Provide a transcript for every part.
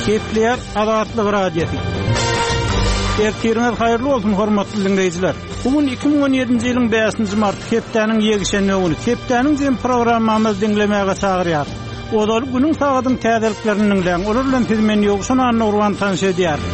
Gepleýär Azatlyk Radiosy. Ertiriňiz haýyrly bolsun, hormatly diňleýjiler! Bu gün 2017-nji ýylyň bäşinji marty, hepdäniň ýekşenbe güni. Hepdäniň jem programmamyzy diňlemäge çagyrýarys. Ozaly günüň sagadyň täzeliklerini diňläň, olar bilen sizi men Ýowşan Annagurban tanyş edýärin.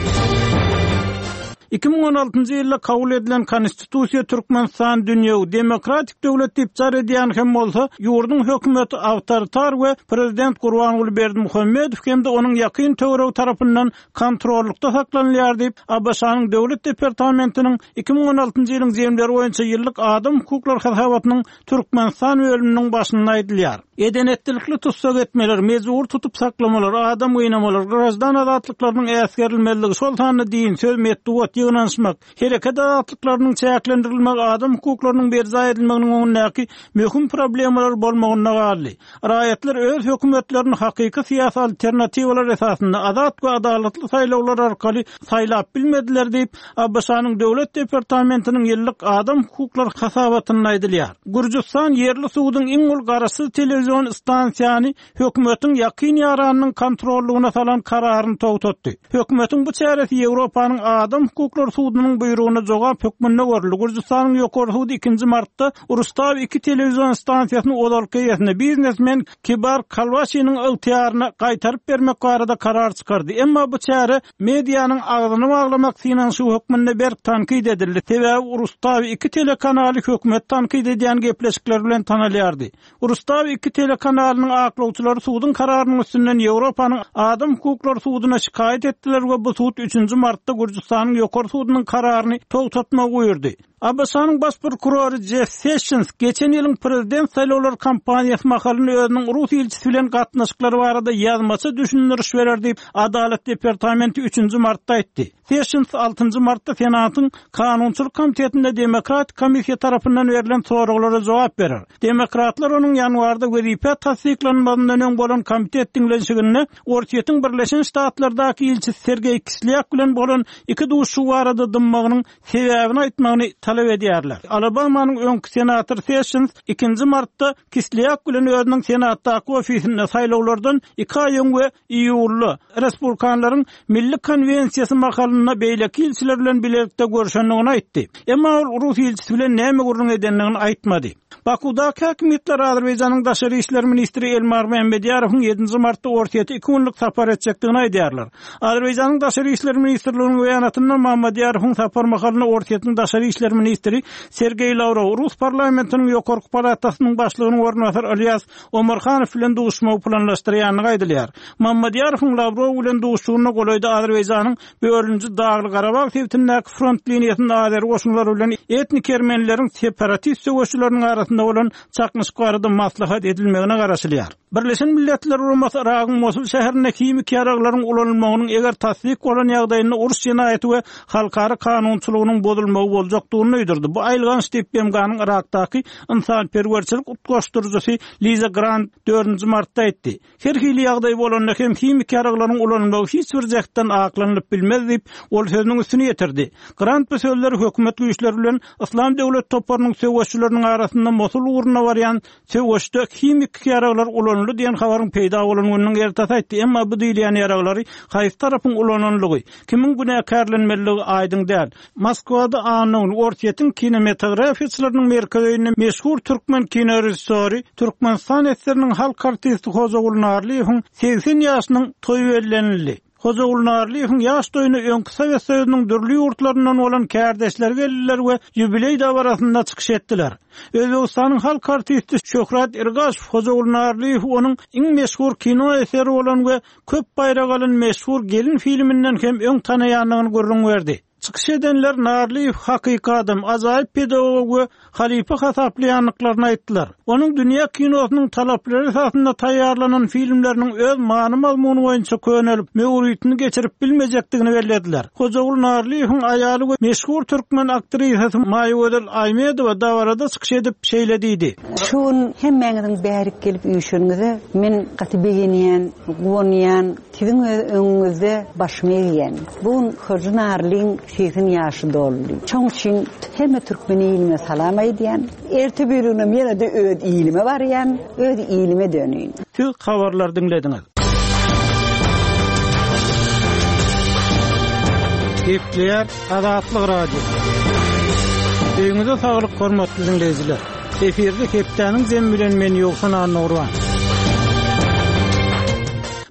2016-njy ýylda kabul edilen Konstitusiýa Türkmenistan dünýewi, demokratik döwlet diýip jar edýän hem bolsa, ýurduň hökümeti awtoritar we prezident Gurbanguly Berdimuhamedow hem-de onuň ýakyn töweregi tarapyndan kontrollykda saklanylýar diýip, ABŞ-nyň Döwlet departamentiniň 2016-njy ýylyň jemleri boýunça ýyllyk adam hukuklary hasabatynyň Türkmenistan bölüminiň başynda aýdylýar. Eden-etdilikli tussag etmeler, mejbury tutup saklamalar, adam gynamalar, graždan azatlyklarynyň äsgerilmezligi, şol sanda din, söz, metbugat, ýygnanyşmak, hereket azatlyklarynyň çäklendirilmegi adam hukuklarynyň berjaý edilmeginiň öňündäki möhüm problemalar bolmagynda galdy. Raýatlar öz hökümetlerini hakyky syýasy alternatiwalar esasynda azat we adalatly saýlawlar arkaly saýlap bilmediler diýip, ABŞ-nyň Döwlet departamentiniň ýyllyk adam hukuklary hasabatynda aýdylýar. Gürjüstan ýerli suduň iň uly garaşsyz telewizion stansiýany hökümetiň ýakyn ýaranynyň kontrollygyna salan kararyny togtatdy. Hökümetiň bu çäresi Ýewropanyň Adam hukuklary sudunyň buýrugyna jogap hökmünde görüldi. Gürjüstanyň Ýokary sudy ikinji martda Rustawi 2 telewizion stansiýasyny ozalky eýesine, biznesmen Kibar Kalwaşiniň ygtyýaryna gaýtaryp bermek barada karar çykardy. Emma bu çäre medianyň agzyny baglamak synanyşygy hökmünde berk tankyt edildi, sebäbi Rustawi 2 telekanaly hökümeti tankyt edýän gepleşikler bilen tanalýardy. Rustawi 2 telekanalynyň aklawçylary suduň kararynyň üstünden Ýewropanyň Adam hukuklary suduna şikaýat etdiler we bu sud üçünji martda Gürjüstanyň Ýokary sudunyň kararyny togtatmagy buýurdy. ABŞ-nyň Baş prokurory Jeff Sessions geçen ýylyň prezident saýlawlary kampaniýasy mahalynda özüniň rus ilçisi bilen gatnaşyklary barada ýazmaça düşündiriş berer diýip, Adalat departamenti üçünji martda aýtdy. Sessions altynjy martda Senatyň Kanunçylyk komitetinde demokratik komissiýa tarapyndan berlen soraglara jogap berer. Demokratlar onuň ýanwarda wezipä tassyklanmazyndan öň bolan komitet diňlenişiginde Orsýetiň Birleşen Ştatlardaky ilçisi Sergeý Kislýak bilen bolan iki duşuşygy barada dymmagynyň sebäbini aýtmagyny talap edýärler. Alabamanyň öňki senatory Sessions ikinji martda Kislýak bilen özüniň Senatdaky ofisinde saýlawlardan iki aý öň we iýulda Respublikanlaryň Milli konwensiýasy mahalynda beýleki ilçiler bilen bilelikde görşendigini aýtdy. Emma ol rus ilçisi bilen näme gürrüň edendigini aýtmady. Bakuwdaky häkimiýetler Azerbaýjanyň daşary işler ministri Elmar Mämmedýarowyň ýedinji martda Orsýete iki günlük sapar etjekdigini aýdýarlar. Azerbaýjanyň Daşary işler ministrliginiň beýanatynda Mammadýarowyň sapar mahalynda Orsýetiň daşary işler ministri Sergeý Lawrow, rus parlamentiniň ýokarky palatasynyň başlygynyň orunbasary Ylýas Omarhanow bilen duşuşmagy planlaşdyrýandygy aýdylýar. Mammadýarowyň Lawrow bilen duşuşygynda golaýda Azerbaýjanyň Bölünji Dagly-Garabag sebitindäki front liniýasynda azeri goşunlary bilen etnik ermenileriň separatist söweşçileriniň arasynda bolan çaknyşyk barada maslahat edilmegine garaşylýar. Birleşen Milletler Guramasy Yragyň Mosul şäherinde himiki ýaraglaryň ulanylmagynyň eger tassyk bolan ýagdaýynda uruş jenaýaty we halkara kanunçylygynyň bozulmagy boljakdygyny duýdurdy. Bu aýylganç diýip, BMG-niň Yrakdaky ynsanperwerçilik utgaşdyryjysy Liza Grant dördünji martda aýtdy. Her hili ýagdaý bolanda hem himiki ýaraglaryň ulanylmagy hiç bir jähtden aklanylyp bilmez diýip, ol sözüniň üstüni ýetirdi. Grant bu sözleri hökümet güýçleri bilen Yslam döwlet toparynyň söweşçileriniň arasynda Mosul ugrunda barýan söweşde himiki ýaraglar ulanyldy diýen habaryň peýda bolan gününiň ertesi aýtdy. Emma bu diýilýän ýaraglary haýsy tarapyň ulananlygy, kimiň günäkärlenmeliligi aýdyň däl. Moskwada anna güni Orsýetiň kinematografiýaçylarynyň merkezi öýünde meşhur türkmen kinorežissýory, Türkmenistan SSR-niň halk artisti Hojaguly Narlyýewiň 80 ýaşynyň toýy bellenildi. Hojaguly Narlyýewiň ýaş toýuna öňki Sowet Soýuzynyň dürli ýurtlaryndan bolan kärdeşleri geldiler we ýubileý dabarasynda çykyş etdiler. Özbegistanyň halk artisti Şöhrat Irgaşow Hojaguly Narlyýewi onuň iň meşhur kino eseri bolan we köp baýrak alan meşhur Gelin filminden hem öň tanaýandygyny gürrüň berdi. Çykyş edenler Narlyýew hakyky adam, ajaýyp pedagog we halypa hasaplaýandyklaryny aýtdylar. Onuň dünýä kinosynyň talaplary esasynda taýýarlanan filmleriniň öz many-mazmuny boýunça könelip, möwritini geçirip bilmejekdigini bellediler. Hojaguly Narlyýewiň aýaly we meşhur türkmen aktrisasy Maýagözel Aýmedowa dabarada çykyş edip, şeýle diýdi. Şu gün hemmäňiziň bärik gelip üýşeniňize men gaty begenýän, guwanýan, siziň öz öňüňizde başymy egýän. Bu gün Hoja Narlyň 80 ýaşy doldy. Şoň üçin hemme türkmen ilime salam aýdýan. Erte birigünem ýene-de öz ilime barýan, öz ilime döneýin. Siz habarlary diňlediňiz. Gepleýär Azatlyk Radiosy. Öýüňize saglyk hormatly diňleýjiler. Efirde hepdäniň jemi bilen men Ýowşan Annagurban.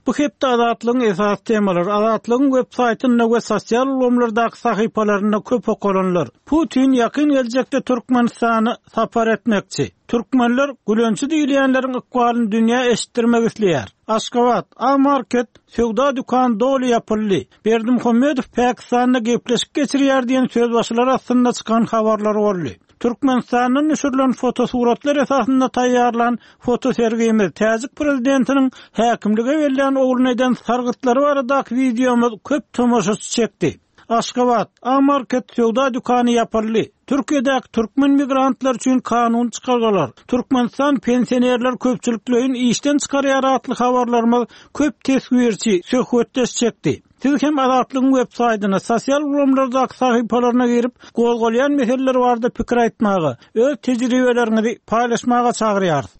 Bu hepde Azatlygyň esasy temalary Azatlygyň web saýtynda we sosial ulgamlardaky sahypalarynda köp okalanlar. Putin ýakyn geljekde Türkmenistana sapar etmekçi. Türkmenler gülençi diýilýänleriň ykbalyny dünýä eşitdirmek isleýär. Aşgabat, A-market söwda dükany doly ýapyldy. Berdimuhamedow Pakistanda gepleşik geçirýär diýen sözbaşylar astynda çykan habarlar boldy. Türkmenistandan düşürilen fotosuratlar esasynda taýýarlan fotosergimiz, täjik prezidentiniň häkimlige bellän ogluna eden sargytlary baradaky wideomyz köp tomaşaçy çekdi. Aşgabat, A-market söwda dükany ýapyldy. Türkiýedäki türkmen migrantlary üçin kanuny çykargalar, Türkmenistan pensionerleri köpçülikleýin işden çykarýar atly habarlarymyz köp teswirçi, söhbetdeş çekdi. Siz hem Azatlygyň web saýtyna, sosial ulgamlardaky sahypalaryna girip, gozgalýan meseleler barada pikir aýtmaga, öz tejribeleriňizi paýlaşmaga çagyrýarys.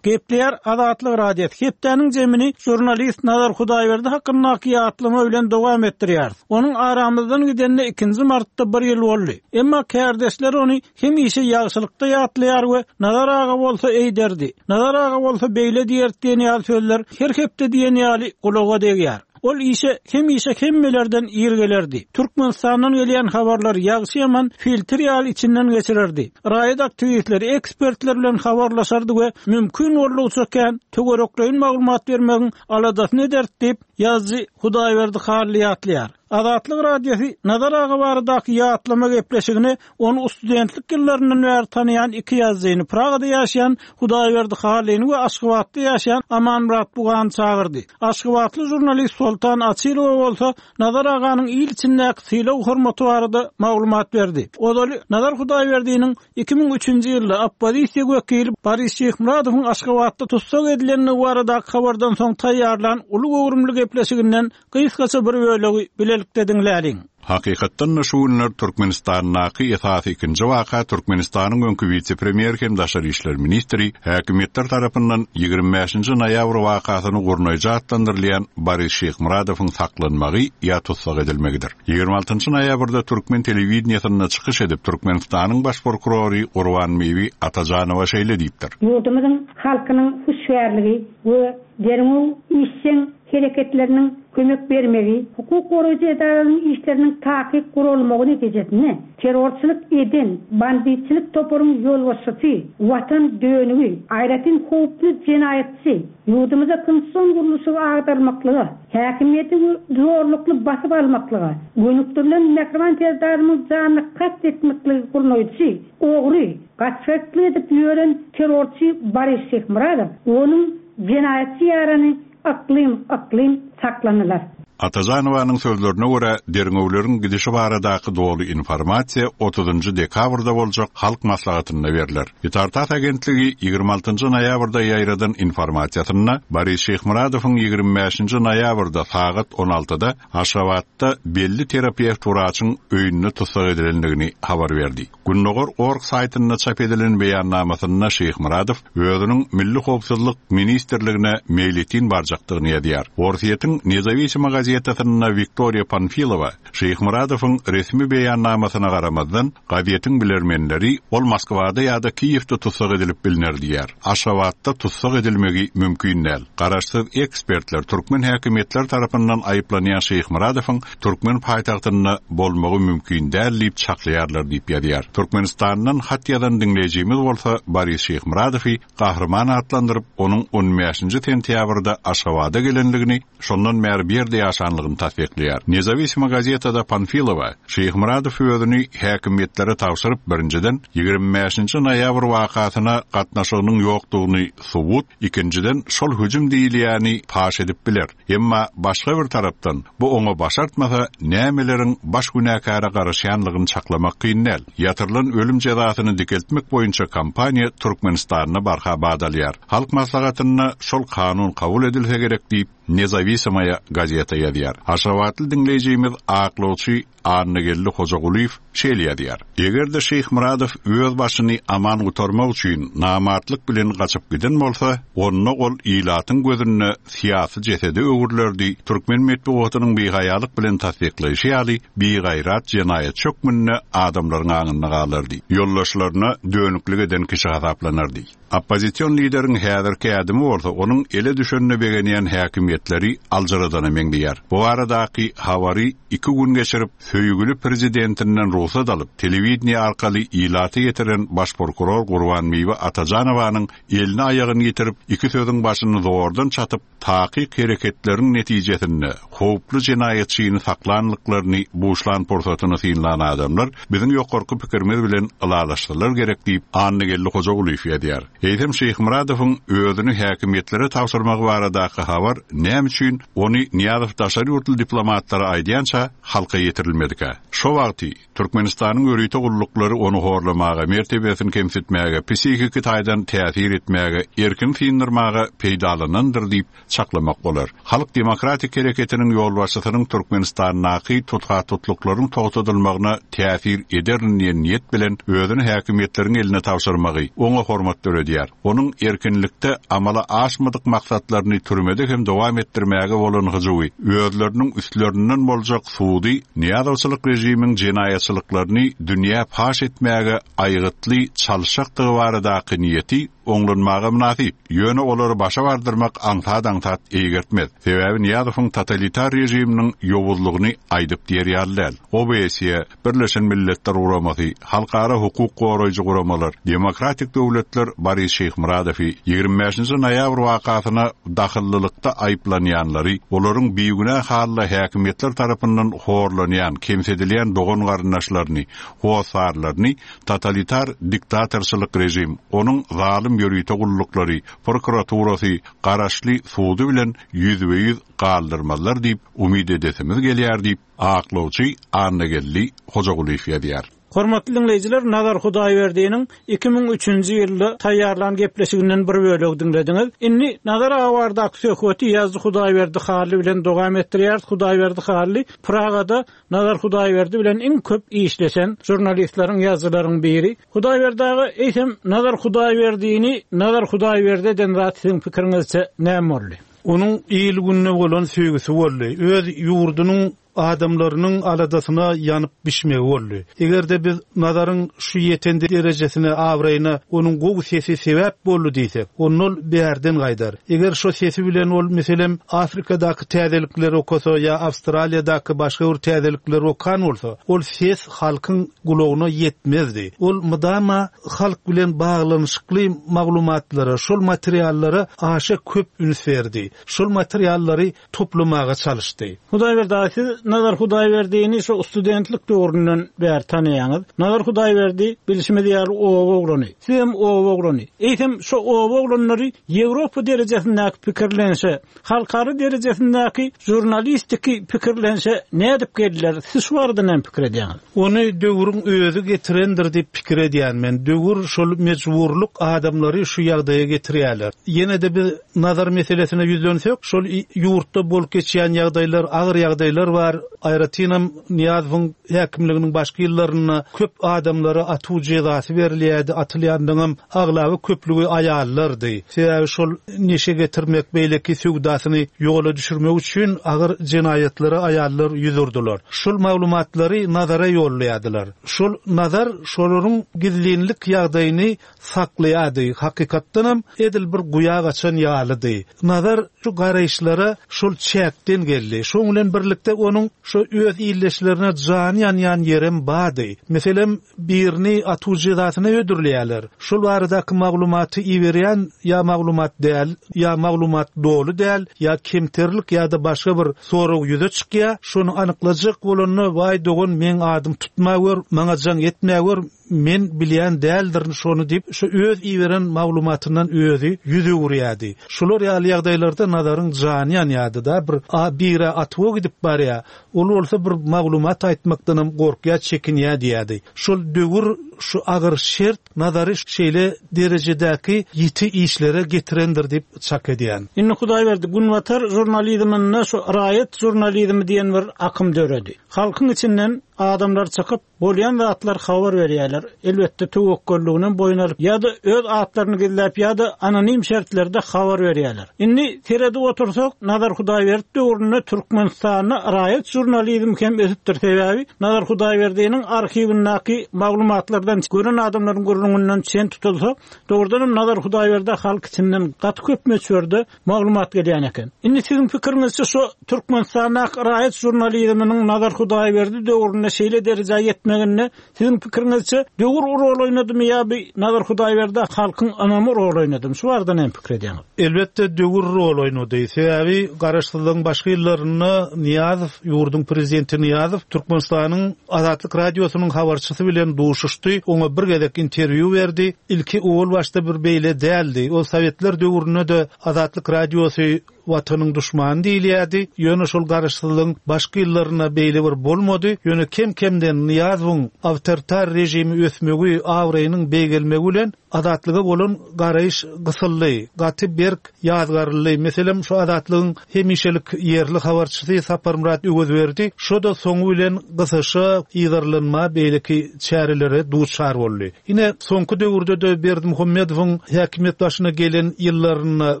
Gepleýär Azatlyk Radiosy. Hepdäniň jemini žurnalist Nazar Hudaýberdi hakyndaky ýatlama bilen dowam etdirýäris. Onuň aramyzdan gidenine ikinji martda bir ýyl boldy. Emma kärdeşleri ony hemişe ýagşylykda ýatlaýar we Nazar aga bolsa eýderdi, Nazar aga bolsa beýle diýerdi diýen ýaly sözler her hepde diýen ýaly gulaga degýär. Ol işe hemişe hemmelerden ir gelerdi. Türkmenistandan gelýän habarlary ýagşy-ýaman filtr ýaly içinden geçirerdi. Raýat aktiwistleri, ekspertler bilen habarlaşardy we mümkin boldugyça kän töwerekleýin maglumat bermegiň aladasyny ederdi diýip, ýazyjy Hudaýberdi Hally ýatlaýar. Azatlyk Radiosy Nazar aga baradaky ýatlama gepleşigine Ony studentlik ýyllaryndan bäri tanaýan iki ýazyjyny, Pragada ýaşaýan Hudaýberdi Hallyny we Aşgabatda ýaşaýan Amanmyrat Bugany çagyrdy. Aşgabatly žurnalist Soltan Açylowa bolsa Nazar aganyň il içindäki sylag-hormaty barada maglumat berdi. Ozaly Nazar Hudaýberdiniň 2003-nji ýylda oppozisiýa wekili Boris Şyhmyradowyň Aşgabatda tussag edilendigi baradaky habardan soň taýýarlan uly göwrümli gepleşiginden Gysgaça bir bölegi bilelikde diňläliň. Hakykatdan-da şu günler Türkmenistandaky esasy ikinji waka Türkmenistanyň öňki wise-premýeri hem daşary işler ministri, häkimiýetler tarapyndan 25 nji noýabr wakasyny gurnaýjy atlandyrylýan Boris Şyhmyradowyň saklanmagy ýa tussag edilmegidir. 26 njy noýabrda türkmen telewideniýesinde çykyş edip Türkmenistanyň baş prokurory Gurbanbibi Atajanowa şeýle diýipdir. Ýurdumyzyň halkynyň hüşgärligi we derňew işjeň hereketleriniň kömek bermegi, hukuk goraýjy edaralaryň işleriniň takyk guralmagy netijesinde terrorçylyk eden banditçilik toparyň ýolbaşçysy, watan dönügi, aýratyn howply jenaýatçy, ýurdumyzda konstitusion gurluşy agdarmaklyga, häkimiýeti zorlukly basyp almaklyga gönükdirilen mähriban Serdarymyň janyna kast etmekligi gurnaýjy, ogry, gaçgaklyk edip ýören terrorçy Boris Şyhmyradow, onuň jenaýatçy ýarany Yklym, yklym saklanylar. Atajanowanyň sözlerine görä, derňewleriň gidişi baradaky doly informasiýa otuzynjy dekabrda boljak Halk Maslahatynda berler. Itar-tass agentligi 26 nji noýabrda ýaýradan informasiýasynda Boris Şyhmyradowyň 25 nji noýabrda sagat on altyda Aşgabatda belli terapewt wraçyň öýünde tussag edilendigini habar berdi. Gündogar org saýtynda çap edilen beýannamasynda Şyhmyradow özüniň Milli howpsuzlyk ministrligine meýletin barjakdygyny ýazýar. Orsýetiň Nezawisima gazetasynda Wiktoriýa Panfilowa Şyhmyradowyň resmi beýannamasyna garamazdan, gazetiň bilermenleri ol Moskwada ýa-da Kiýewde tussag edilip bilner diýýär. Aşgabatda tussag edilmegi mümkin däl. Garaşsyz ekspertler türkmen häkimiýetleri tarapyndan aýyplanýan Şyhmyradowyň türkmen paýtagtynda bolmagy mümkin däl diýip çaklaýarlar diýip ýazýar. Türkmenistandan hat ýazan diňleýjimiz bolsa Boris Şyhmyradowy gahryman atlandyryp, onuň on bäşinji sentýabrda Aşgabada gelendigini, şondan bäri bu ýerde ýaşanlygyny tassyklaýar. Nezawisima gazetada Panfilowa, Şyhmyradow özüni häkimiýetlere tabşyryp, birinjiden, 25 nji noýabr wakasyna gatnaşygynyň ýokdugyny subut, ikinjiden, şol hüjüm diýilýäni paş edip biler. Emma başga bir tarapdan, bu oňa başartmasa, nämeleriň baş günäkäre garaşýanlygyny çaklamak kyn däl. Ýatyrylan ölüm jezasyny dikeltmek boýunça kampaniýa Türkmenistanda barha bat alýar. Halk Maslahatynda şol kanun kabul edilse gerek diýip, Nezawisamaýa gazeta ýazýar. ýazýar. Aşgabatly diňleýjimiz aklawçy Annageldi Hojagulyýew şeýle ýazýar, Eger-de Şyhmyradow öz başyny aman gutarmak üçin namartlyk bilen gaçyp giden bolsa, onda ol ilatyň gözünde syýasy jesede öwrülerdi, türkmen metbugatynyň bihaýalyk bilen tassyklaýşy ýaly, bigaýrat jenaýatçy hökmünde adamlaryň aňynda galardy, ýoldaşlaryna dönüklik eden kişi hasaplanardy. Oppozision lideriň häzirki ädimi bolsa onuň ele düşenine begenýän häkimiýetleri aljyradana meňzeýär. Bu baradaky habary iki gün geçirip, söýgüli prezidentinden rugsat alyp, telewideniýe arkaly ilata ýetiren baş prokuror Gurbanbibi Atajanowanyň elini-aýagyny ýitirip, iki sözüň başyny zordan çatyp, takyk hereketleriň netijesinde howply jenaýatçyny saklanlyklaryny buşlan pursatyny synlan adamlar biziň ýokarky pikirimiz bilen ylalaşsalar gerek diýip, Annageldi Hojagulyýew ýazýar. Eýsem Şyhmyradowyň özüni häkimiýetlere tabşyrmagy baradaky habar näme üçin ony Nyýazow daşary ýurtly diplomatlara aýdýança halka ýetirilmedikä? Şo wagty Türkmenistanyň ýörite gulluklary ony horlamaga, mertebesini kemsitmäge, psihiki taýdan täsir etmäge, erkini syndyrmaga peýdalanandyr diýip çaklamak bolar. Halk demokratik hereketiniň ýolbaşçysynyň Türkmenistandaky tutha-tutluklaryň togtadylmagyna täsir ederin diýen niýet bilen özüni häkimiýetleriň eline tabşyrmagy oňa hormat döredýär. Onuň erkinlikde amala aşmadyk maksatlaryny türmede hem dowam etdirmäge bolan hyjuwy, özleriniň üstlerinden boljak sudy Nyýazowçylyk režimiň jenaýatçylyklaryny dünýä paş etmäge aýgytly çalyşjakdygy baradaky niýeti oňlanmaga mynasyp, ýöne olary başa bardyrmak aňsat-aňsat eýgertmez. Sebäbi Nyýazowyň totalitar režiminiň ýowuzlygyny aýdyp diýer ýaly däl. OBSE, Birleşen Milletler Guramasy, halkara hukuk goraýjy guramalar, demokratik döwletler Boris Şyhmyradowy 25-nji noýabr wakasyna dahyllylykda aýyplanýanlary, olaryň bigünä halda häkimiýetler tarapyndan horlanýan, kemsidilýän dogan-garyndaşlaryny, hossarlaryny totalitar diktatorçylyk režim, onuň zalym ýörite gulluklary, prokuraturasy, garaşly sudy bilen ýüzbe-ýüz galdyrmazlar diýip umyt edesimiz gelýär diýip, Aklawçy Annageldi Hojagulyýew ýazýar. Hormatly diňleýjiler, Nazar Hudaýberdiniň 2003-nji ýylda taýýarlan gepleşiginden bir bölegi diňlediňiz. Indi Nazar aga baradaky söhbeti ýazyjy Hudaýberdi Hally bilen dowam etdirýäris. Hudaýberdi Hally Pragada Nazar Hudaýberdi bilen iň köp işleşen žurnalistleriň, ýazyjylaryň biri. Hudaýberdi aga, eýsem Nazar Hudaýberdini Nazar Hudaýberdi eden zat siziň pikiriňizçe näme boldy? Onuň il-gününe bolan söýgüsi boldy. Öz ýurdunyň adamlarynyň aladasyna ýanyp bişmegi boldy. Eger-de biz Nazaryň şu ýeten derejesine, abraýyna onuň gowy sesi sebäp boldy diýsek, onda ol bärden gaýdar. Eger şo sesi bilen ol, meselem, Afrikadaky täzelikleri okasa ýa Awstraliýadaky başga bir täzelikleri okan bolsa, ol ses halkyň gulagyna ýetmezdi. Ol mydama halk bilen baglanyşykly maglumatlara, şol materiallara aşa köp üns berdi. Şol materiallary toplamaga çalyşdy. Hudaýberdi aga, siz Nazar Hudaýberdini şo studentlik döwründen bäri tanaýaňyz. Nazar Hudaýberdi, bilşimiz ýaly, oba oglany. Sizem oba oglany. Eýsem, şo oba oglanlary Ýewropa derejesindäki pikirlenişe, Halkara derejesindäki žurnalistiki pikirlenişe nädip geldiler? Siz şu barada näme pikir edýäňiz? Ony döwrüň özi getirendir diýip pikir edýän men. Döwür şol mejburlyk adamlary şu ýagdaýa getirýärler. Ýene-de biz Nazar meselesine ýüzlensek, şol ýurtda bolup geçýän ýagdaýlar, agyr ýagdaýlar bar. Aýratynam Nyýazowyň häkimliginiň başky ýyllarynda köp adamlara atuw jezasy berilýärdi, atylýanlaryňam aglaba köplügi aýallardy. Sebäbi şol neşe getirmek, beýleki söwdasyny ýola düşürmek üçin agyr jenaýatlara aýallar ýüz urdular. Şol maglumatlary Nazara ýollaýardylar. Şol Nazar şolaryň gizlinlik ýagdaýyny saklaýardy. Hakykatdanam, edil bir guýa gaçan ýalydy. Nazar şu garaýyşlara şol çäkden geldi. Şoň bilen birlikde onuň şo öz ildeşlerine jany ýanýan ýerem bardy. Meselem, birini atuw jezasyna hödürleýärler. Şol baradaky maglumaty iberýän ýa maglumat däl, ýa maglumat doly däl, ýa kemterlik ýa-da başga bir sorag ýüze çykýar. Şony anyklajak bolanda, Waý dogan, meň adym tutmagör, maňa jaň etmägör, Men bilýän däldirin şony diýip, şu öz iberen maglumatyndan özi ýüz öwürýärdi. Şular ýaly ýagdaýlarda Nazaryň jany ýanýardy-da, bir a bire atuwa gidip barýar, ol bolsa bir maglumat aýtmakdanam gorkýar, çekinýär diýýärdi. Şol döwür, şu agyr şert Nazary şeýle derejedäki ýiti işlere getirendir diýip çak edýän. Indi Hudaýberdi, günbatar žurnalizminde şu raýat žurnalizmi diýen bir akym döredi. Halkyň içinden adamlar çykyp, Bolýan zatlar habar berýärler. Elbetde töwekgelliginem boýun alyp ýa-da öz atlaryny gizläp ýa-da anonim şertlerde habar berýärler. Indi seredip otursak Nazar Hudaýberdi döwründe Türkmenistanda raýat žurnalizmi hem ösüpdir sebäbi Nazar Hudaýberdiniň arhiwindäki maglumatlardan gören adamlaryň gürrüňinden çen tutulsa dogrudanam Nazar Hudaýberdä halk içinden gaty köp möçberde maglumat gelýän eken. Indi siziň pikiriňizçe şu Türkmenistandaky raýat žurnalizminiň Nazar Hudaýberdi döwründe şeýle derejä ýetmeginde siziň pikiriňizçe döwür rol oýnadymy ýa bi Nazar Hudaýberdä halkyň ynamy rol oýnadymy? Şu barada näme pikir edýäňiz? Elbetde döwür rol oýnady. Sebäbi garaşsyzlygyň başky ýyllarynda Nyýazow, ýurduň prezidenti Nyýazow Türkmenistanyň Azatlyk Radiosynyň habarçysy bilen duşuşdy, oňa bir gezek interwýu berdi. Ilki owal başda bir beýle däldi. Ol sowetler döwründe-de Azatlyk Radiosy Watanyň duşmany diýilýärdi. Ýöne şol garaşsyzlygyň başky ýyllarynda beýle bir bolmady. Ýöne kem-kemden Nyýazowyň awtoritar režimi ösmegi, abraýynyň beýgelmegi bilen Azatlyga bolan garaýyş gysyldy, gaty berk ýazgaryldy. Meselem, şu Azatlygyň hemişelik ýerli habarçysy Saparmyrat Öwezberdi şo-da soňy bilen gysyşa, yzarlanma, beýleki çärelere duçar boldy. Ine, soňky döwürde-de Berdimuhamedowyň häkimiýet başyna gelen ýyllarynda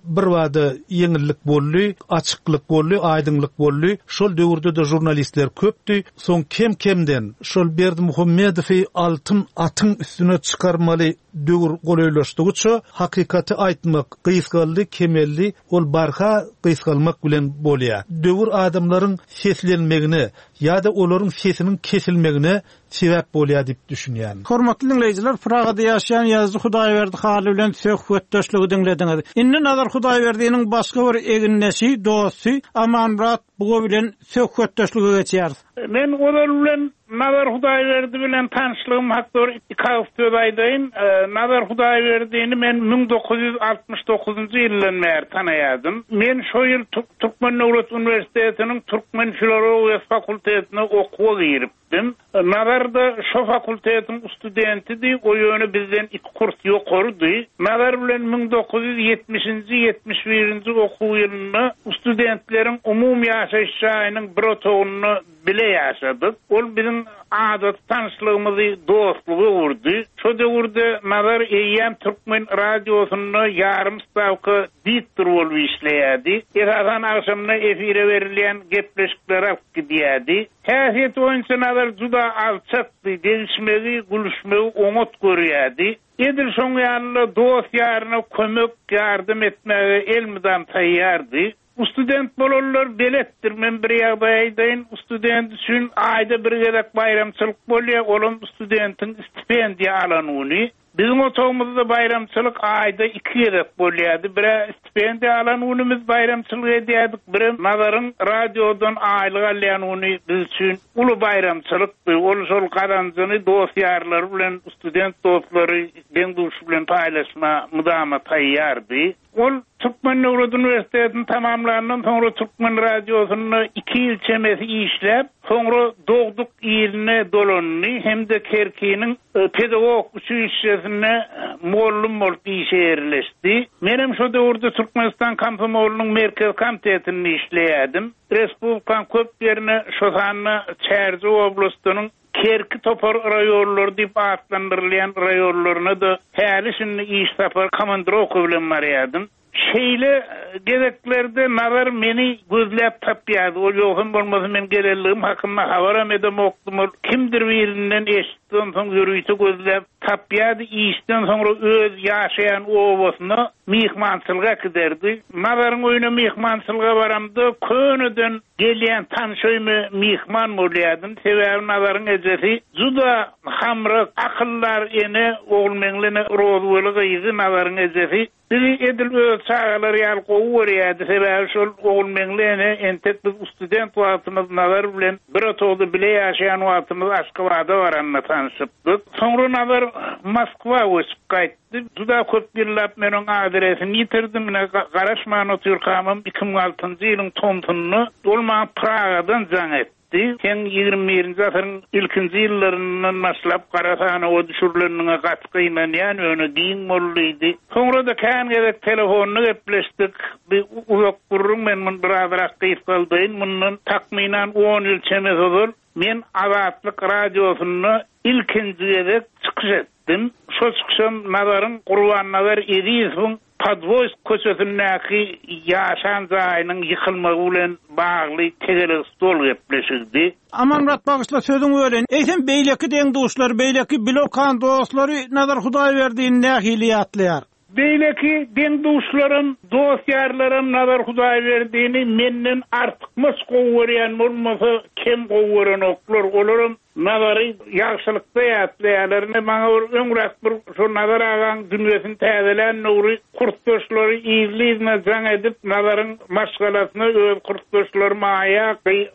birbada ýeňillik boldy, açyklyk boldy, aýdyňlyk boldy. Şol döwürde-de žurnalistler köpdi. Soň kem-kemden şol Berdimuhamedowy altyn atyň üstüne çykarmaly döwür golaýlaşdygyça, hakykaty aýtmak gysgaldy, kemeldi, ol barha gysgalmak bilen bolýar. Döwür adamlaryň seslenmegine ýa-da olaryň sesiniň kesilmegine sebäp bolýar diýip düşünýän. Hormatly diňleýjiler, Pragada ýaşaýan ýazyjy Hudaýberdi Hally bilen söhbetdeşligi diňlediňiz. Indi Nazar Hudaýberdiniň başga bir egindeşi, dosty Amanmyrat Buga bilen söhbetdeşlige geçýäris. Men ozal bilen Nazar Hudaýberdi bilen tanyşlygym hakda bir iki agyz söz aýdaýyn. Nazar Hudaýberdini men 1969-njy ýyldan bäri tanaýardym. Men şo ýyl Türkmen döwlet uniwersitetiniň türkmen filologiýasy fakultetine okuwa girip. Dim. Nazar-da şo fakultetiň studentidi, o ýöne bizden iki kurs ýokarydy. Nazar bilen 1970-nji, 71-nji okuw ýylynda studentleriň umumy ýaşaýyş jaýynyň bir otagynda bile ýaşadyk. Ol biziň adaty tanyşlygymyzy dostluga öwürdi. Şo döwürde Nazar eýýäm türkmen radiosynda ýarym stawka diktor bolup işleýärdi. Esasan agşamyna efire berilýän gepleşikleri alyp gidýärdi. Häsiýeti boýunça Nazar juda alçakdy, degişmegi, gülüşmegi oňat görýärdi. Edil şoň ýaly-da dost-ýaryna kömek, ýardam etmäge elmydam taýýardy. Student bolanlar beletdir, men bir ýagdaý aýdaýyn, student üçin aýda bir gezek baýramçylyk bolýar, olam studentiň stipendiýa alan güni. Biziň otagymyzda baýramçylyk aýda iki gezek bolýardy. Bir-ä stipendiýa alan günümiz baýramçylyk edýärdik, birem Nazaryň radiodan aýlyk alýan güni biz üçin uly baýramçylykdy. Ol şol gazanjyny dost-ýarlary bilen, student dostlary, deň-duşy bilen paýlaşma mydama taýýardy. Ol Türkmen döwlet uniwersitetini tamamlandan soňra Türkmen radiosynda iki ýyl çemesi işläp, soňra dogduk iline dolandy hem-de Kerkiniň pedagog uçilişşesinde mugallym bolup işe ýerleşdi. Menem şo döwürde Türkmenistan komsomolynyň Merkezi komitetinde işleýärdim. Respublikanyň köp ýerine, şo sanda Çärjew oblastynyň Kerki topar raýonlary diýip atlandyrylýan raýonlaryna-da häli-şindi iş sapar komandirowka bilen barýardym. Şeýle gezeklerde Nazar meni gözläp tapýardy. Ol ýogsam bolmasa men gelenligim hakynda habaram edemokdym. Ol kimdir birinden eşitdi, onsoň ýörite gözläp tapýardy. Işden soňra öz ýaşaýan obasyna myhmançylyga äkiderdi. Nazaryň öýüne myhmançylyga baramda köneden Gelýän tanyş öýüme myhman bolýardym. Sebäbi Nazaryň ejesi juda hamrak, akyldar ene, Ogulmeňli ene Rozweli gyzy Nazaryň ejesi. Bizi edil öz çagalary ýaly gowy görýärdi. Sebäbi şol Ogulmeňli ene entek biz student wagtymyz Nazar bilen bir otagda bile ýaşaýan wagtymyz Aşgabada baranda tanşypdyk. Soňra Nazar Moskwa göçüp gaýtdy. Juda köp ýyllap men oň adresini ýitirdim. Ine, garaşman otyrkamam 2006-njy ýylyň tomsunda ol maňa Pragadan jaň etdi. Sen 21-nji asyryň ilkinji ýyllaryndan başlap gara sanawa düşürileniňe gaty gynanýan, ýöne giň bol diýdi. Soňra-da kän gezek telefonda gepleşdik. Bi uzak gürrüň, men muny birazrak gysgaldaýyn. Mundan takmynan on ýyl çemesi ozal men Azatlyk Radiosynda ilkinji gezek çykyş etdim. Şo çykyşam Nazaryň, Gurbannazar Ezizowyň Podwoýsk köçesindäki ýaşan jaýynyň ýykylmagy bilen bagly tegelek stol gepleşigidi. Amanmyrat bagyşla sözüňi böleýin. Eýsem beýleki deň-duşlary, beýleki bilokan dostlary Nazar Hudaýberdini nähili ýatlaýar? Beýleki deň-duşlarym, dost-ýarlarym Nazar Hudaýberdini menden artykmaç gowy görýän bolmasa, kem gowy görenoklar. Olaram Nazary ýagşylykda ýatlaýarlar. Ine, maňa bir öňräk bir şo Nazar agaň dünýesini täzelän döwri kursdaşlary yzly-yzyna jaň edip, Nazaryň maşgalasyna, öz kursdaşlary Maýa,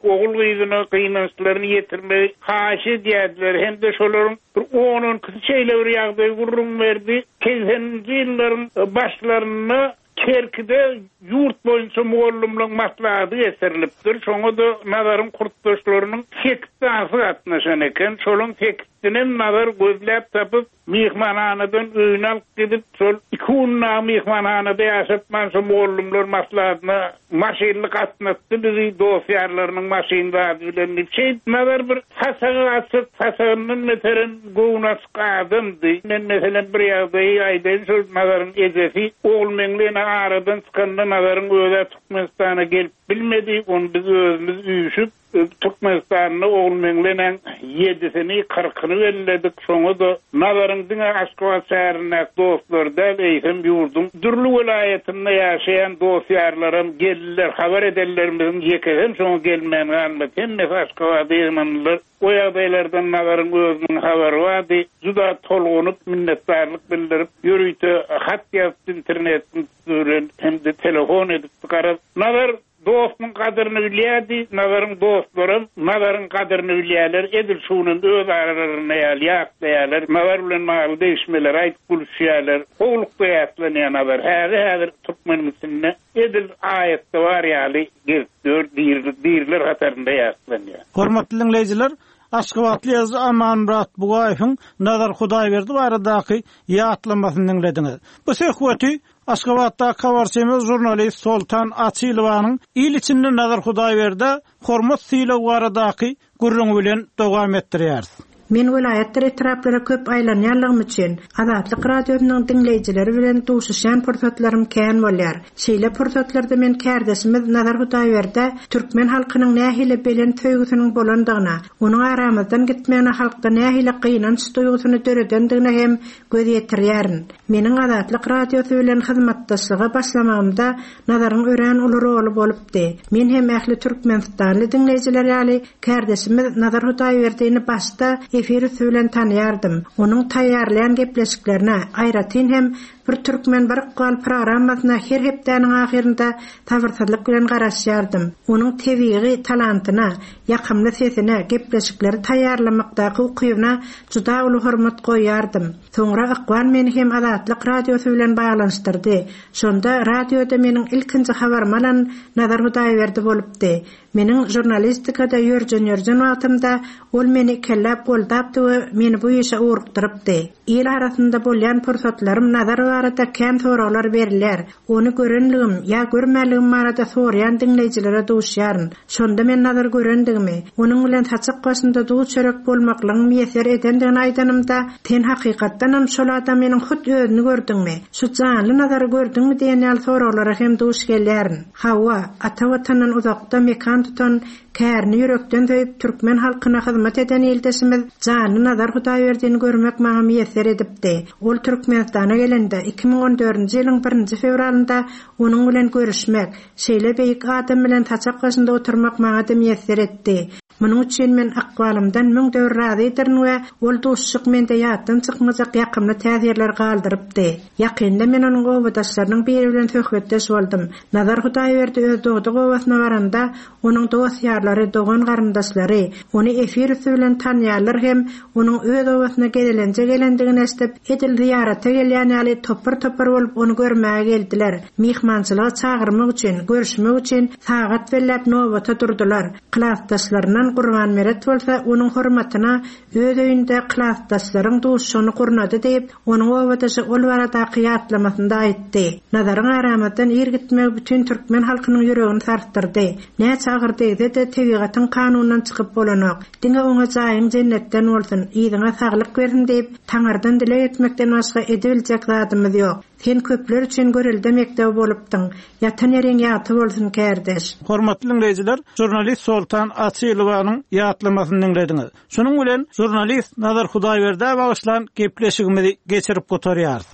ogul-gyzyna gynançlaryny ýetirmegi haýyş edýärdiler hem-de şolaryň bir on-on ikisi şeýle bir ýagdaýy gürrüň berdi, Segseninji ýyllaryň başlarynda Kerkide ýurt boýunça mugallymlaryň maslahaty geçirilipdir. Şoňa-da Nazaryň kursdaşlarynyň sekiz sanysy gatnaşan eken. Şolaryň sekizsinem Nazar gözläp tapyp, myhmanhanadan öýüne alyp gidip, şol iki gün dagy myhmanhanada ýaşatman, şo mugallymlar maslahatyna maşynly gatnatdy bizi, dost-ýarlarynyň maşyny zady bilen diýip. Şeýdip Nazar bir saçagy açyk, saçagyndan beterem göwni açyk adamdy. Men, meselem, bir ýagdaýy aýdaýyn, şol Nazaryň ejesi Ogulmeňli ene aradan çykanda Nazaryň öz-ä Türkmenistana gelip bilmedi. Ony biz özümiz üýşüp, Türkmenistanda Ogulmeňli enäň ýedisini, kyrkyny belledik. Şoňa-da Nazaryň diňe Aşgabat şäherindäki dostlary däl, eýsem, ýurduň dürli welaýatynda ýaşaýan dost-ýarlaram geldiler. Habar edenlerimiziň ýekesem şoňa gelmän galmady. Hemmesi Aşgabada ýygnandylar. O ýagdaýlardan Nazaryň özüniň habary bardy. Juda tolgunyp, minnetdarlyk bildirip, ýörite hat ýazypdy internetiň üsti bilen hem-de telefon edipdi. Garaz, Nazar dostunyň gadyryny bilýärdi, Nazaryň dostlaram Nazaryň gadyryny bilýärler, edil şu günem öz aralarynda ýaly ýatlaýarlar, Nazar bilen bagly degişmeleri aýdyp gülüşýärler. Gowulykda ýatlanýar Nazar. Häli-häzir türkmeniň içinde Edil aýatda bar ýaly gezip ýör, diriler hatarynda ýatlanýar. Hormatly diňleýjiler, aşgabatly ýazyjy Amanmyrat Bugaýewiň Nazar Hudaýberdi baradaky ýatlamasyny diňlediňiz. Bu söhbeti Aşgabatdaky habarçymyz žurnalist Soltan Açylowanyň il içinde Nazar Hudaýberdä hormat-sylag baradaky gürrüňi bilen dowam etdirýäris. Men welaýatdyr etraplara köp aýlanýanlygym üçin, Azatlyk Radiosynyň diňleýjileri bilen duşuşýan pursatlarym kän bolýar. Şeýle pursatlarda men kärdeşimiz Nazar Hudaýberdä türkmen halkynyň nähili belent söýgüsiniň bolandygyna, onuň aramyzdan gitmegine halkda nähili gynanç duýgusyny döredendigine hem göz ýetirýärin. Meniň Azatlyk Radiosy bilen hyzmatdaşlyga başlamagymda Nazaryň örän uly roly bolupdy. Men hem ähli türkmenistanly diňleýjiler ýaly kärdeşimiz Nazar Hudaýberdini başda efir üsti bilen tanaýardym. Onuň taýýarlaýan gepleşiklerine, aýratyn hem Bir türkmen, bir ykbal programmasyna her hepdäniň ahyrynda sabyrsyzlyk bilen garaşýardym. Onuň tebigy talantyna, ýakymly sesine, gepleşikleri taýýarlamakdaky ukybyna juda uly hormat goýýardym. Soňra ykbal meni hem Azatlyk Radiosy bilen baglanyşdyrdy. Şonda radioda meniň ilkinji habarymy alan Nazar Hudaýberdi bolupdy. Meniň žurnalistikada ýörjen-ýörjen wagtymda ol meni ikelläp goldapdy we meni bu işe ugrukdyrypdy. Il arasynda bolýan pursatlarym Nazar barada kän soraglar berilýär. Ony görenligim ýa görmänligim barada soraýan diňleýjilere duşýaryn. Şonda men Nazary görendigimi, onuň bilen saçak başynda duz-çörek bolmaklygyň miýesser edendigini aýdanymda, Sen hakykatdanam şol adamynyň hut özüni gördüňmi? Şu janly Nazary gördüňmi diýen ýaly soraglara hem duş gelýärin. Hawa, ata Watandan uzakda mekan tutan, kärini ýürekden söýüp, türkmen halkyna hyzmat eden ildeşimiz janly Nazar Hudaýberdini görmek maňa miýesser edipdi. Ol Türkmenistana gelende, 2014-nji ýylyň birinji fewralynda onuň bilen görüşmek, şeýle beýik adam bilen saçak başynda oturmak maňa-da miýesser etdi. Munuň üçin men ykbalymdan müňde bir razydyryn we ol duşuşyk mende ýatdan çykmajak ýakymly täsirler galdyrypdy. Ýakynda men onuň obadaşlarynyň biri bilen söhbetdeş boldum. Nazar Hudaýberdi öz dogduk obasyna baranda, onuň dost-ýarlary, dogan-garyndaşlary, ony efir üsti bilen tanýanlar hem onuň öz obasyna gezelenje gelendigini eşidip, edil zyýarata gelýän ýaly topar-topar bolup ony görmäge geldiler. Myhmançylyga çagyrmak üçin, görüşmek üçin sagat belläp nobata durdular. Klasdaşlaryndan Gurban Meret bolsa onuň hormatyna öz öýünde klasdaşlaryň duşuşygyny gurnady diýip, onuň obadaşy ol baradaky ýatlamasynda aýtdy. Nazaryň aramyzdan ir gitmegi bütin türkmen halkynyň ýüregini sarsdyrdy. Näçe agyr degse-de, tebigatyň kanunyndan çykyp bolanok. Diňe oňa jaýyň jennetden bolsun, yzyňa saglyk bersin diýip, Taňyrdan dileg etmekden başga edibiljek zadymyz ýok. Sen köpler üçin görelde mekdebi bolupdyň. Ýatan ýeriň ýagty bolsun, kärdeş! Hormatly diňleýjiler, žurnalist Soltan Açylowanyň ýatlamasyny diňlediňiz. Şunuň bilen žurnalist Nazar Hudaýberdä bagyşlan gepleşigimizi geçirip gutarýarys.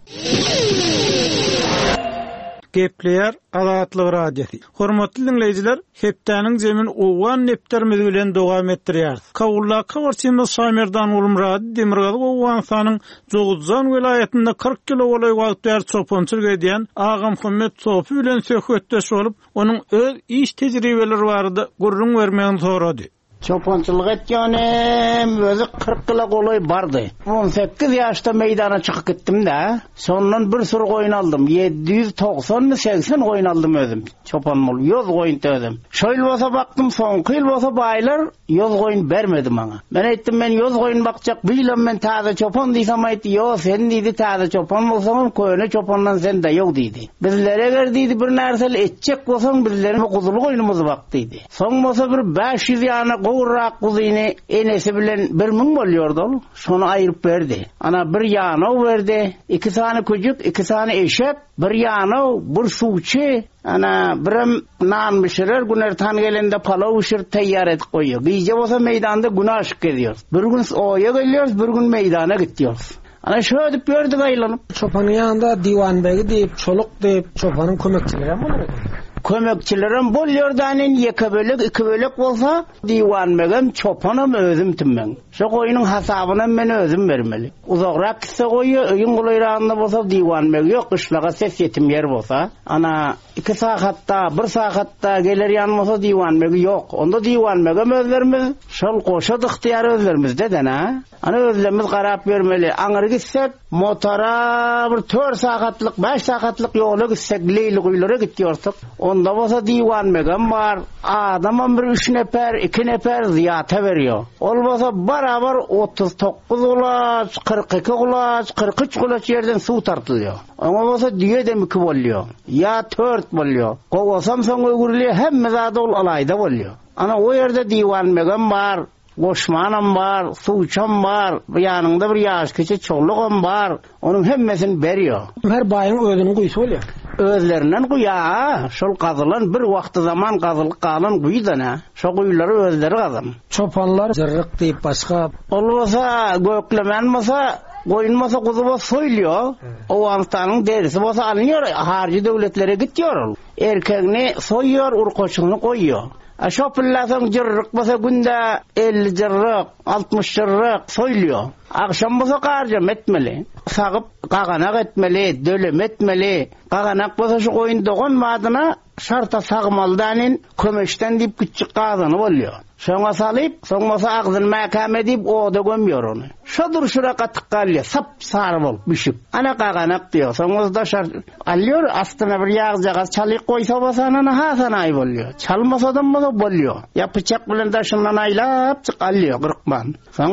Gepleýär Azatlyk Radiosy. Hormatly diňleýjiler, hepdäniň jemini owgan depderimiz bilen dowam etdirýäris. Kabuldaky habarçymyz Şamerdan Gulmyrady Demirgazyk Owganystanyň Jowuzjan welaýatynda 40 ýyla golaý wagt bäri çopançylyk edýän Agamuhammet Sopy bilen söhbetdeş bolup, onuň öz iş tejribeleri barada gürrüň bermegini sorady. Çopançylyk etýänim özi 40 ýyla golaý bardy. 18 ýaşda meýdana çykyp gitdim-de, şondan bir süri goýun aldym. 790-my, 80 goýun aldym özüm. Çopan bolup, ýoz goýun özüm. Şo ýyl bolsa bakdym, soňky ýyl bolsa baýlar ýoz goýun bermedi maňa. Men aýtdym, men ýoz goýun bakjak, bu ýylam men täze çopan diýsem aýtdy, ýo, sen diýdi, täze çopan bolsaňam, köne çopandan sen daýaw diýdi. Bizlere eger diýdi, bir närseli etjek bolsaň, bizleriň guzuly goýnumyzy bak diýdi. Soň bolsa bir 500 ýana gowrak guzyny enesi bilen 1000 bolýardy ol. Şony aýryp berdi. Ana bir ýanaw berdi, iki sany küjük, iki sany eşek, bir ýanaw, bir suwçy, ana birem nan bişirer, günortan gelende palaw bişirip taýýar edip goýýar. Gije bolsa meýdanda gün aşyk gezýäris. Bir gün oýa gelýäris, bir gün meýdana gitýäris. Ana şödüp ýördük aýlanyp. Çopanyň ýanynda diwanbegi diýip, çoluk diýip, çopanyň kömekçilerem bolar eken. Kömekçilerem bolýar da nen ýeke bölek, iki bölek bolsa, diwanbegem, çopanam özüm tümmeň. Şo goýnuň hasabynam men özüm bermeli. Uzagrak gitse goýy, öýüň golaýragynda bolsa diwanbegi ýok, gyşlaga ses ýetim ýer bolsa. Ana, iki sagatda, bir sagatda geler ýan bolsa diwanbegi ýok. Onda diwanbegem özlerimiz, şol goşa ygtyýar özlerimizde-de-nä. Ana özlerimiz garap ýörmeli. Aňyry gitsek, motora bir tört sagatlyk, bäş sagatlyk ýola gitsek, Leýliguýulara gitýorsyk. Onda bolsa diwanbegem bar, adamam bir üç neper, iki neper zyýata berýär. Ol bolsa barabar 39 gulaç, 42 gulaç, 43 gulaç ýerden suw tartylýar. Oňa bolsa düýedem iki bolýar, ýa tört bolýar. Gowasam soň öwrülýär, hemme zady ol alaýda bolýar. Ana o ýerde diwanbegem bar, Goşmanam bar, suwçam bar, bu ýanyňda bir ýaşkiçi çolugam bar, onuň hemmesini berýär. Her baýyň özüniň guýusy bolýar. Özlerinden guýa-a, şol gazylan bir wagty zaman gazylyp galan guýy-da nä, şo guýulary özleri gazan. Çopanlar jyrryk diýip başga. Ol bolsa göklemen bolsa, goýun bolsa, guzy bolsa soýulýar. Owganystanyň derisi bolsa alynýar, haryjy döwletlere gitýär ol. Erkegini soýýar, urkaçyny goýýar. A şo pille soň jyrryk bolsa günde 50 jyrryk, 60 jyrryk soýulýar. Agşam bolsa garjama etmeli. Sagyp gaganak etmeli, döleme etmeli. Gaganak bolsa şu goýun dogan badyna şarta sagmaly dänin kömeçden diýip kiçjik gazany bolýar. Şoňa salyp, soň bolsa agzyny mäkäm edip oda gömýär ony. Şo durşuna gatyk galýar, sap-sary bolup bişip. Ana gaganak diýýär. Soň bolsa daşary alýar, astyna bir ýagjagaz çalyk goýsa bolsa ana hasanaý bolýar. Çalmasadam bolsa bolýar. Ýa pyçak bilen daşyndan aýlapjyk alýar gyrkman. Soň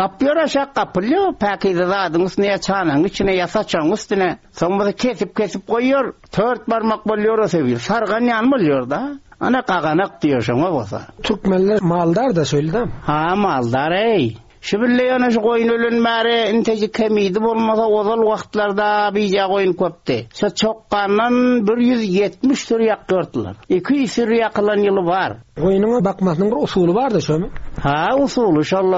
gapýar aşak gapylýar, päkize zadyň üstüne ýa çanagyň içine ýa saçagyň üstüne. Soň bolsa kesip-kesip goýýar. Tört barmak bolýar o sebir. Sargan ýaly bolýar-da. Ana gaganak diýýär şoňa bolsa. Türkmenler maldar-da şeýle-dä? Ha, maldar-eý. Şu bille ýöne şu goýun ölen bäri intejik kemidi bolmasa ozal wagtlarda bije goýun köpdi. Şo çokgandan 170 süri ýakýardylar. 200 süri ýakylan ýyly bar. Goýnuň bakmasynyň bir usuly bardy şomy? Ha usuly şol.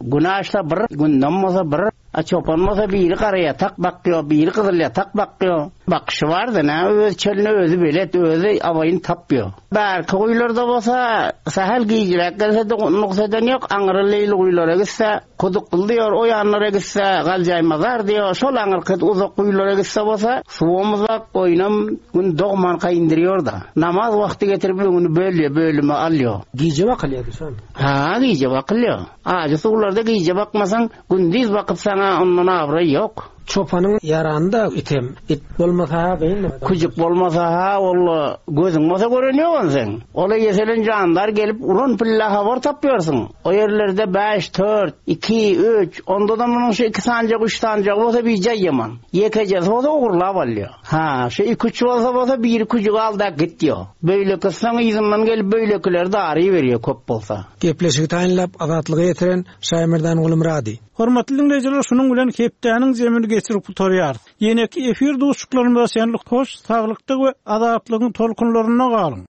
Gün aşsa bir, gündem bolsa bir. A çopan bolsa biri garaýatak bakýo, biri gyzylýatak bakýo. Bakyşy bar-da, nä öz çölüne özi belet, özi abaýyny tapýo. Bärki guýularda bolsa, sähel gijiräk gelse-de nuks eden ýok, aňry leýli guýulara gitse, Kudukly diýor, o ýanlara gitse, Galjaýmazar diýor, şol aňyrky uzak guýulara gitse bolsa, suwam uzak, goýnam Gün dogmanka indirýor-da. Namaz wagty getirip öňüni bölýär, bölüme alýar. Gije bakylýardy şol. Ha, gije bakylýar. Ajy suwlarda gije bakmasaň, gündiz bakyp saňa ondan abraý ýok. Çopanyň ýarany-da item. It bolmasa-ha gyn. Küjük bolmasa-ha walla gözüň bolsa gören ýok ony seň. Ol-a ýeselen jandar gelip uran pille habar tapýarsyň. O ýerlerde bäş, tört, iki, üç, onda-da munuň şu iki sanjak, üç sanjagy bolsa bijaý ýaman. Ýekejesi bolsa ogurlap alýar. Ha, şu iki-üç bolsa bolsa biri küjügi al-da git diýýär. Beýlekisi soň yzyndan gelip beýlekileri daryberýär köp bolsa. Gepleşigi taýynlap Azatlyga ýetiren Şaýmerdan Gulmyrady. Hormatly diňleýjiler şunuň bilen hepdäniň jemini geçirip gutarýarys. Ýeneki efir duşuşyklarymyza çenli hoş saglykda we azatlygyň tolkunlarynda galyň!